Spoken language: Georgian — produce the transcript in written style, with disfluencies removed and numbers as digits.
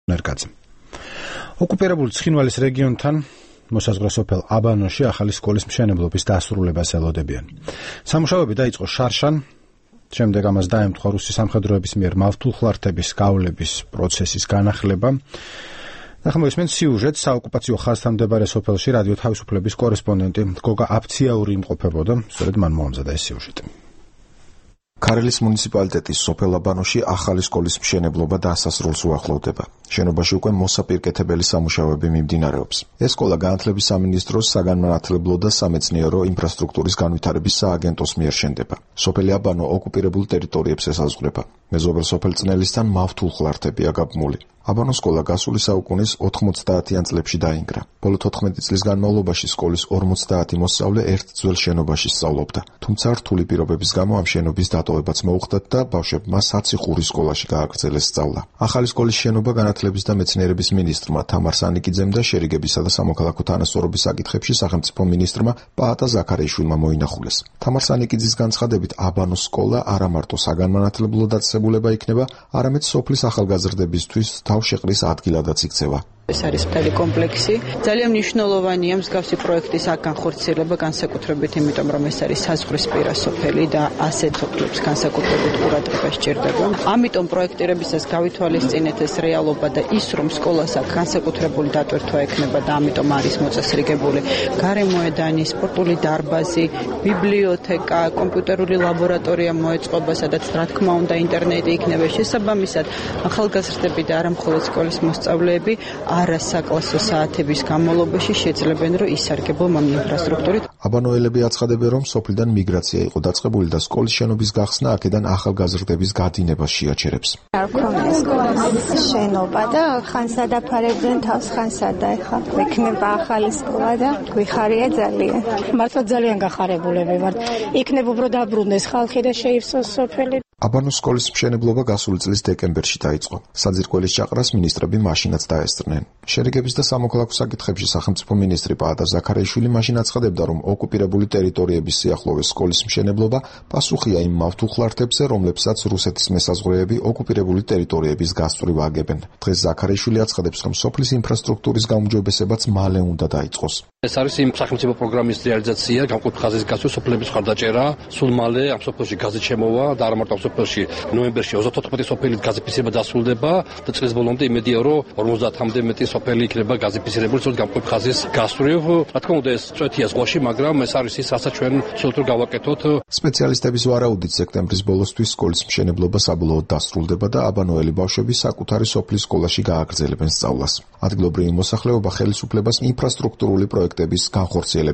ნერგაძე. ოკუპირებული ცხინვალის რეგიონთან მოსაზღვრე სოფელ აბანოში ახალი სკოლის მშენებლობის დასრულებას ელოდებიან. სამუშაოები დაიწყო შარშან, შემდეგ ამას დაემთხვა რუსი სამხედროების მიერ მავთულხლართების გავლების პროცესის განახლება. ნახმოვისმენთ სიუჟეტს საოკუპაციო ხაზთან მდებარე სოფელში რადიო თავისუფლების კორესპონდენტი გოგა აფციაური იმყოფებოდა, სწორედ მან მოამზადა ეს სიუჟეტი. ქარელის მუნიციპალიტეტის სოფელ აბანოში ახალი სკოლის მშენებლობა დასასრულს უახლოვდება. შენობაში უკვე მოსაპირკეთებელი სამუშაოები მიმდინარეობს. ეს სკოლა განათლების სამინისტროს საგანმანათლებლო და სამეცნიერო ინფრასტრუქტურის განვითარების სააგენტოს მიერ შენდება. სოფელი აბანო ოკუპირებულ ტერიტორიებს ესაზღვრება. მეზობელ სოფელ წნელისთან მავთულხლართებია გაბმული. აბანოს სკოლა გასული საუკუნის 90-იან წლებში დაინგრა. ბოლო 14 წლის განმავლობაში სკოლის 50 მოსწავლე ერთ ძველ შენობაში სწავლობდა. თუმცა რთული პირობების გამო ამ შენობის დატოვებაც მოუხდათ და ბავშვებმა საციხურის სკოლაში გააგრძელეს სწავლა. ახალი სკოლის შენობა განათლების და მეცნიერების მინისტრმა თამარ სანიკიძემ და შერიგებისა და სამოქალაქო თანასწორობის საკითხებში სახელმწიფო მინისტრმა პაატა ზაქარიაშვილმა მოინახულეს. თამარ სანიკიძის განცხადებით აბანოს სკოლა არა მარტო საგანმანათლებლო დაწესებულება იქნება, არამედ სოფლის ახალგაზრდებისთვის თავშეყრის ადგილადაც იქცევა. ეს არის მთელი კომპლექსი. ძალიან მნიშვნელოვანია მსგავსი პროექტის აქ განხორციელება, განსაკუთრებით იმიტომ, რომ ეს არის საზღვრისპირა სოფელი და ასეთ სოფლებს განსაკუთრებით ყურადღება სჭირდება. ამიტომ პროექტირებისას გავითვალისწინეთ ეს რეალობა და ის, რომ სკოლას აქ განსაკუთრებული დატვირთვა ექნება და ამიტომ არის მოწესრიგებული გარემოედანი, სპორტული დარბაზი, ბიბლიოთეკა, კომპიუტერული ლაბორატორია მოეწყობა, სადაც რა თქმა უნდა ინტერნეტი იქნება შესაბამისად. ახალგაზრდები და არა მხოლოდ სკოლის მოსწავლეები არასაკლასო საათების განმავლობაში შეძლებენ, რომ ისარგებლონ ამ ინფრასტრუქტურით. აბანოელები აცხადებენ, რომ სოფლიდან მიგრაცია იყო დაწყებული და სკოლის შენობის გახსნა აქედან ახალგაზრდების გადინებას შეაჩერებს. არ ქონია სკოლის შენობა და ხან სადაფარებდნენ თავს, ხან სადა ეხლა. ექნება ახალი სკოლა და გვიხარია ძალიან. მართლა ძალიან გახარებულები ვართ. იქნებ უფრო დაბრუნდეს ხალხი და შეივსოს სოფელი. აბანოს სკოლის მშენებლობა გასული წლის დეკემბერში დაიწყო. საძირკველის ჭაყრას მინისტრები მაშინაც დაესწრნენ. შერიგების და სამოქალაქო საკითხებში სახელმწიფო მინისტრი პაატა ზაქარიაშვილი მაშინ აცხადებდა, რომ ოკუპირებული ტერიტორიების სიახლოვეს სკოლის მშენებლობა პასუხია იმ მავთულხლართებზე, რომლებსაც რუსეთის მესაზღვრეები ოკუპირებული ტერიტორიების გასწვრივ აგებენ. დღეს ზაქარიაშვილი აცხადებს, რომ სოფლის ინფრასტრუქტურის გაუმჯობესებაც მალე უნდა დაიწყოს. ეს არის იმ სახელმწიფო პროგრამის რეალიზაცია, გამყოფ ხაზის გასვლა, სოფლების მხარდაჭერა, სულ მალე ამ სოფელში გაზი შემოვა და არა მარტო სოფელში ნოემბერში 34 სოფელი გაზიფიცირება დასრულდება და წლის ბოლომდე იმედია, რომ 50-მდე მეტი სოფელი იქნება გაზიფიცირებული, სწორედ გამყოფ ხაზის გასწვრივ. რა თქმა უნდა, ეს წვეთია ზღვაში, მაგრამ ეს არის ის, რასაც ჩვენ ცდილობთ გავაკეთოთ. სპეციალისტების ვარაუდით სექტემბრის ბოლოსთვის სკოლის მშენებლობა საბოლოოდ დასრულდება და აბანოელი ბავშვები საკუთარი სოფლის სკოლაში გააგრძელებენ სწავლას. ადგილობრივი მოსახლეობა ხელისუფლებას ინფრასტრუქტურული პროექტების განხორციელებას